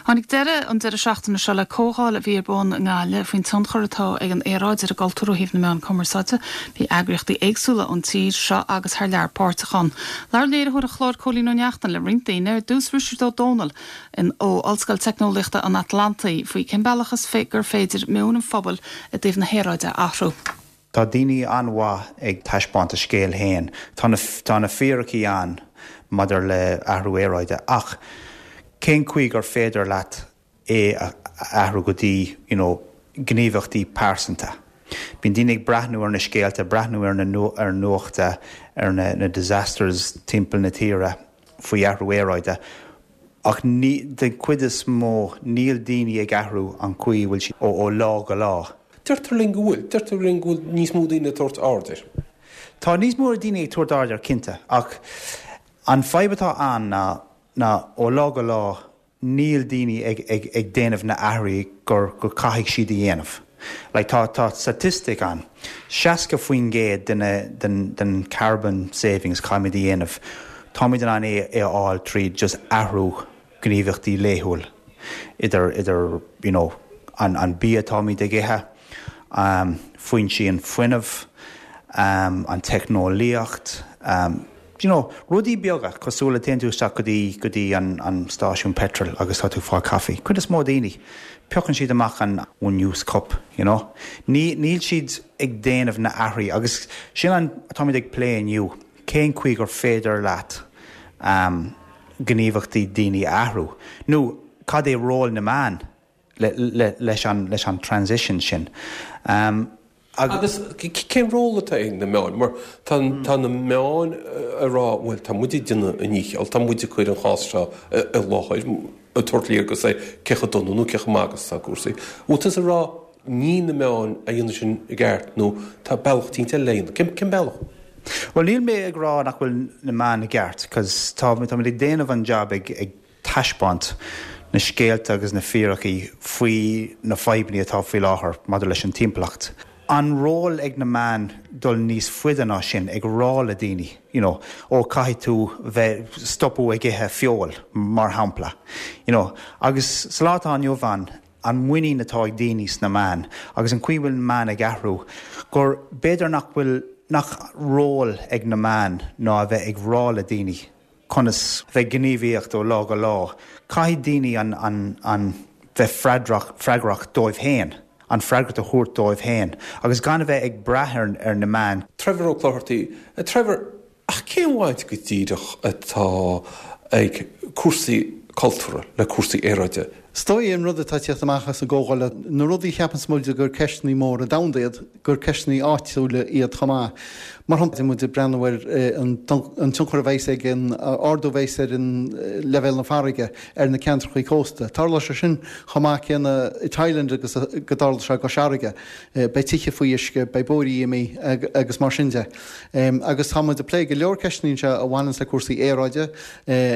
Tháinig deireadh an deireadh seachtaine seo le comhdháil a bhí ar bun i nGaillimh faoin tionchar atá ag an aeráid ar an gcultúr ó thaobh na meán cumarsáide. Bhí eagraíochtaí éagsúla ón tír seo agus thar lear páirteach ann. Labhair léiritheoir an chláir Cóilín Ó Neachtain le roinnt daoine, ar dtús Risteard Ó Domhnaill ó Ollscoil Teicneolaíochta an Atlantaigh faoi cén bealach is gur féidir meon an phobail i dtaobh na haeráide a athrú. Tá daoine an-mhaith ag taispeáint a scéal féin. Tá na, tá na fíricí ann maidir le athrú aeráide ach cén chaoi gur féidir leat é a athrú go dtí, you know, gníomhaíochtaí pearsanta? Bíonn daoine ag breathnú ar na scéalta, breathnú ar na, ar an nuachta, ar na, na disasters timpeall na tíre faoi athrú aeráide Ach ní, den chuid is mó, níl daoine ag athrú an chaoi a bhfuil siad ó lá go lá. Deirtear linn go bhfuil. Deirtear linn go bhfuil níos mó daoine ag tabhairt aird air. Tá níos mó daoine ag tabhairt aird air, cinnte. Ach an fadhb atá ann ná, ná ó lá go lá, níl daoine ag, ag, ag déanamh na athruithe gur, gur caithfidh siad a dhéanamh. Like tá, tá statistic ann, 60% de na, den, den carbon savings caithfimid a dhéanamh, táimid in ann é, é a fháil tríd just athrú gníomhaíochtaí laethúil, idir, idir you know an, an bia atáimid ag ithe, um foinsí an fuinnimh, um an teicneolaíocht, um you know, rudaí beaga, cosúil le téann tú isteach go dtí, go dtí an, an stáisiún peitril agus tá tú ag fáil caife. Cuid is mó daoine, piocann siad amach an one use cup, you know. Ní, níl siad ag déanamh na athruithe agus sin an, atáimid ag plé inniu, cén chaoi gur féidir leat um, gníomhaíochtaí daoine a athrú, nó cad é ról na meán leis an transition sin. Agus cén ról atá ag na meáin? Mar tá na meáin ag rá, bhuel, tá muid ag déanamh an dícheall, tá muid ag cur an chás seo i láthair, ag tabhairt léargas ar cé chomh dona nó cé chomh maith agus atá cúrsaí. Bhfuil tusa ag rá ní na meáin a dhéanann sin i gceart nó tá bealach eicínt eile le dhéanamh? Cén bealach? Bhuel, níl mé ag rá nach bhfuil na meáin i gceart, 'cause táimid ag déanamh an jab ag taispeáint na scéalta agus na fíricí faoi na fadhbanna atá faoi láthair maidir leis an timpeallacht. An ról ag na meáin dul níos faide ná sin, ag rá le daoine, you know, ó caithfidh tú bheith, stopadh ag ithe feoil, mar shampla, you know. Agus sa lá atá inniu ann, an muinín atá ag daoine sna meáin agus an chaoi a bhfuil na meáin ag athrú, gur b'fhéidir nach bhfuil, nach ról ag na meáin ná a bheith ag rá le daoine, conas bheith gníomhaíocht ó lá go lá. Caithfidh daoine an, an, an bheith freadrach, freagrach dóibh féin, an freagracht a thabhairt dóibh féin agus gan a bheith ag brath ar, ar na meáin. Trevor Ó Clochartaigh, A Trevor, ach cén bhaint go díreach atá ag cúrsaí cultúrtha le cúrsaí aeráide? Is dóigh an rud atá ag tíocht amach as an gcomhdháil, na rudaí a cheapanns muid gur ceisteanna móra domhanda iad, gur ceisteanna áitiúla iad chomh maith. Mar shampla, muid ag breathnú ar an tionchar a bheas ag an ardú a bheas ar an leibhéal na farraige ar na ceantrachaí cósta. Tarlóidh sé sin chomh maith céanna i Thailand agus go dtarla sé i gCois Fharraige. Beidh tithe faoi uisce, beidh bóithrí imithe agus mar sin de. Agus tá muid ag plé go leor ceisteanna anseo a bhaineanns le cúrsaí aeráide,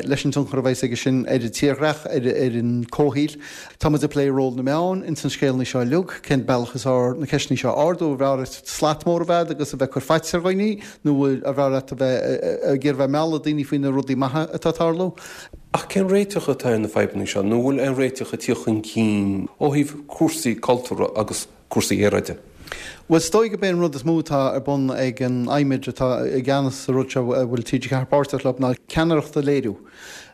leis an tionchar a bheas aige sin ar an tírdhreach, ar an comhshaoil. Tá muid ag plé ról na meán ins an scéalnaí seo uilig, cén bealach is fearr na ceisteanna seo a ardú, an bhfearr leat slat mór a bheith agat agus a bheith ag cur faitíos ar dhaoine nó an bhfearr leat a bheith ag iarraidh bheith ag mealladh daoine faoi na rudaí maithe atá ag tarlú. Ach cén réiteach atá ar na fadhbanna seo nó an bhfuil aon réiteach ag tíocht chun cinn ó thaobh cúrsaí cultúrtha agus cúrsaí aeráide? Bhuel, is dóigh gurb é an rud is mó atá ar bun ag an IMED atá i gceannas sa rud seo a bhfuil TG4 páirteach leo ná ceannaireacht a léiriú.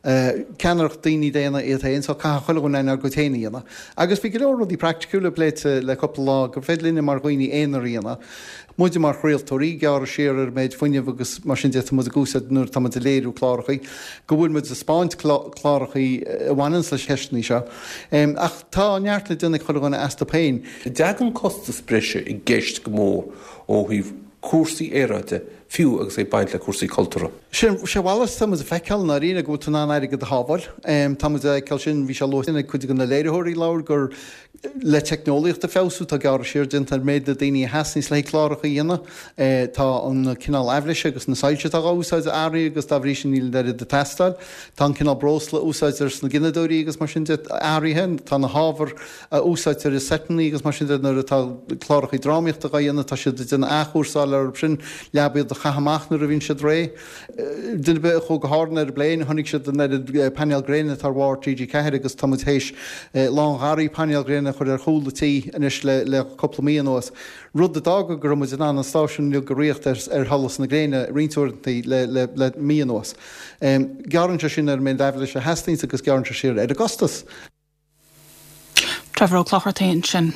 Ceannaireacht daoine daonna iad féin so caithfidh chuile dhuine ár gcuid féin a dhéanamh. Agus bhí go leor rudaí praiticiúla pléite le cúpla lá gur féidir linne mar dhaoine aonair a dhéanamh. Muide mar chraoltóirí, gearradh siar ar an méid fuinnimh agus mar sin de atá muid ag úsáid nuair atá muid ag léiriú clárachaí, go bhfuil muid ag 'spáint clárachaí a bhaineanns leis na ceisteanna seo. Ach tá neart le déanamh ag chuile dhuine astu féin. An dtagann costas breise i gceist go mór ó thaobh cúrsaí aeráide, fiú agus é ag baint le cúrsaí cultúrtha? Sé a mhalairt atá muid a feiceáil i ndáiríre, go bhfuil tú in ann airgead a shábháil. Tá muid a fheiceáil sin, bhí sé luaite ag cuid de na léiritheoirí a labhair gur Le teicneolaíocht a feabhsú, tá gearradh siar déanta ar méid na daoine a theastaíonns le haghaidh cláracha a dhéanamh. Tá an cineál aibhléise agus na soilse atá dhá úsáid athraithe agus dá bhrí sin níl an oiread ag teastáil. Tá an cineál breosla a úsáidtear sna gineadóirí agus mar sin de athraithe. Tá na hábhair a úsáidtear i seiteanna agus mar sin de nuair atá cláracha drámaíochta dhá dhéanamh, tá siad ag déanamh athchúrsáil orthu sin, leath iad a. chaitheamh amach nuair a bhíonn siad réidh. Duine ar bith a chuaigh go hÁrainn ar an bpléin, chonaic siad an oiread painéal gréine atá ar bharr TG4 agus tá muid théis lángharaí painéal gréine a chur ar chúl an tí anois le cúpla mí anuas, rud a d'fhága go raibh muid in ann an stáisiún uilig a ritheacht ar sholas na gréine roinnt uaireanta le mí anuas. Gearrann sé sin ar an méid aibhléise a theastaíonns agus gearrann sé siar ar an gcostas. Trevor Ó Clochartaigh ansin.